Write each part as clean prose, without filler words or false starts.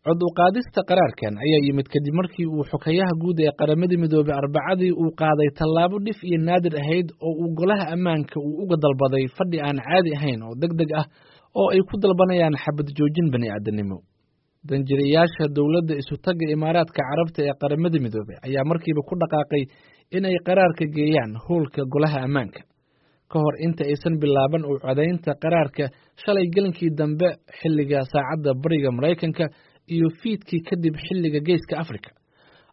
Cod u qaadista qaraarkan ayaa yimid kadib markii uu xokayaha guud ee Qaramada Midoobey Arbacadii uu qaaday tallaabo dhif iyo naadir ahayd oo uu golaha ammaanka uu uga dalbaday fadhi aan caadi ahayn oo deg deg ah oo ay ku dalbanayaan xabad joojin bani'aadanimo. Danjirayaasha dowladda isutagga Imaaraadka Carabta ee Qaramada Midoobey ayaa markiiba ku dhaqaaqay in ay qaraarka geeyaan howlka golaha ammaanka. Ka hor inta aysan bilaaban u codaynta qaraarka shalay gelinkii dambe xilliga saacadda bariga Maraykanka iyo fiidkii kadib xilliga Geeska Afrika,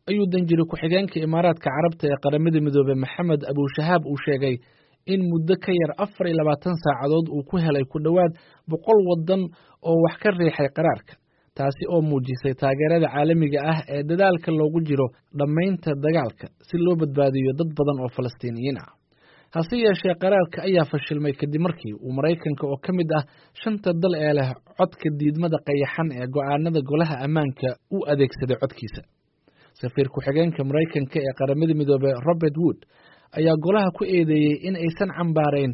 ayuu danjiri ku-xigeenka Imaaraadka Carabta ee Qaramada Midoobey Maxamed Abushahaab uu sheegay in muddo ka yar 24 saacadood uu ku helay ku dhowaad 100 waddan oo wax ka riixay qaraarka, taasi oo muujisay taageerada caalamiga ah ee dadaalka loogu jiro dhammaynta dagaalka si loo badbaadiyo dad badan oo Falastiiniyiin ah. Hase yeeshee, qaraarka ayaa fashilmay kadib markii uu Maraykanka oo ka mid ah shanta dal ee leh codka diidmada qayaxan ee go'aanada golaha ammaanka u adeegsaday codkiisa. Safiir ku-xigeenka Maraykanka ee Qaramada Midoobey Robert Wood ayaa golaha ku eedeeyey in aysan cambaarayn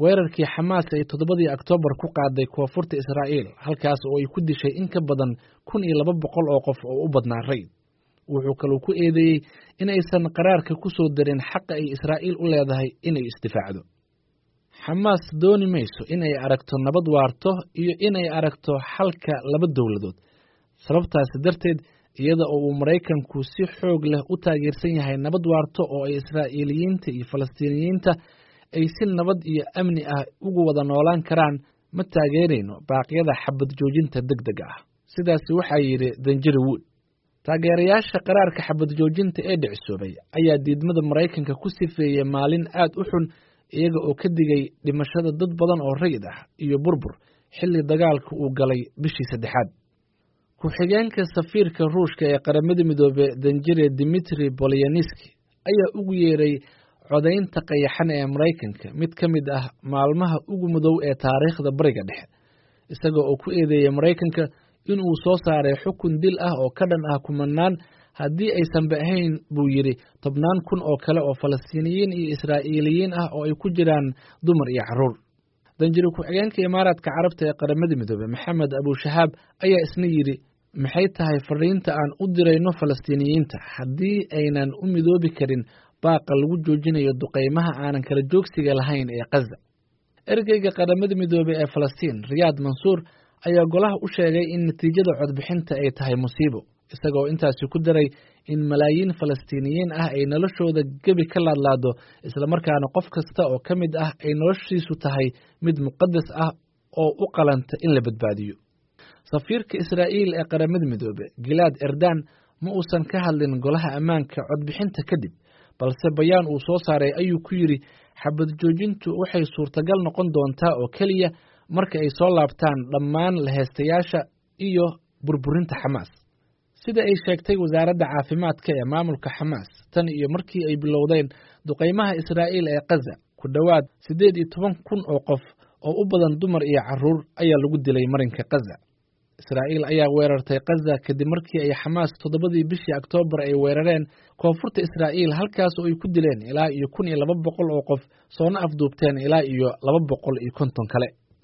weerarkii Xamaas ay 7dii Oktoobar ku qaaday koonfurta Israa'iil, halkaas oo ay ku dishay in ka badan 1200 oo qof oo u badnaa rayid. Wuxuu kaloo ku eedeeyey in aysan qaraarka ku soo darin xaqa ay Israa'iil u leedahay inay isdifaacdo. Xamaas dooni mayso in ay aragto nabad waarto iyo inay aragto xalka laba dowladood. Sababtaasi darteed, iyada oo uu Maraykanku si xoog leh u taageersan yahay nabad waarto oo ay Israa'iiliyiinta iyo Falastiiniyiinta ay si nabad iyo amni ah ugu wada noolaan karaan, ma taageerayno baaqyada xabad joojinta degdega ah. Sidaasi waxaa yidhi Danjiri Wood. Taageerayaasha qaraarka xabad joojinta ee dhicisoobay ayaa diidmada Maraykanka ku sifeeyey maalin aad u xun, iyaga oo ka digay dhimashada dad badan oo rayid ah iyo burbur xilli dagaalka uu galay bishii saddexaad. Ku-xigeenka safiirka Ruushka ee Qaramada Midoobey Danjire Dimitri Bolyaniski ayaa ugu yeeray codaynta qayaxan ee Maraykanka mid ka mid ah maalmaha ugu madow ee taariikhda Bariga Dhexe, isaga oo ku eedeeyey Maraykanka in uu soo saaray xukun dil ah oo ka dhan ah kumanaan, haddii aysanba ahayn buu yidhi tobnaan kun oo kale oo Falastiiniyiin iyo Israa'iiliyiin ah oo ay ku jiraan dumar iyo carruur. Danjiri ku-xigeenka Imaaraadka Carabta ee Qaramada Midoobey Maxamed Abushahaab ayaa isna yidhi: maxay tahay fariinta aan u dirayno Falastiiniyiinta haddii aynan u midoobi karin baaqa lagu joojinayo duqeymaha aanan kala joogsiga lahayn ee Khaza? Ergeyga Qaramada Midoobey ee Falastiin Riyaad Mansuur ayaa golaha u sheegay in natiijada codbixinta ay tahay musiibo, isagoo intaasi ku daray in malaayiin Falastiiniyiin ah ay noloshooda gebi ka laadlaado, islamarkaana qof kasta oo ka mid ah ay noloshiisu tahay mid muqadas ah oo u qalanta in la badbaadiyo. Safiirka Israa'iil ee Qaramada Midoobe Gilaad Erdan ma uusan ka hadlin golaha ammaanka codbixinta kadib, balse bayaan uu soo saaray ayuu ku yidhi xabad joojintu waxay suurtagal noqon doontaa oo keliya marka ay soo laabtaan dhammaan laheystayaasha iyo burburinta Xamaas. Sida ay sheegtay wasaaradda caafimaadka ee maamulka Xamaas, tan iyo markii ay bilowdeen duqeymaha Israa'iil ee Khaza, ku dhowaad 18,000 oo qof oo u badan dumar iyo carruur ayaa lagu dilay marinka Khaza. Israa'iil ayaa weerartay Khaza kadib markii ay Xamaas 7dii bishii Oktoobar ay weerareen koonfurta Israa'iil, halkaas oo ay ku dileen ilaa iyo 1200 oo qof, soona afduubteen ilaa iyo 250 kale.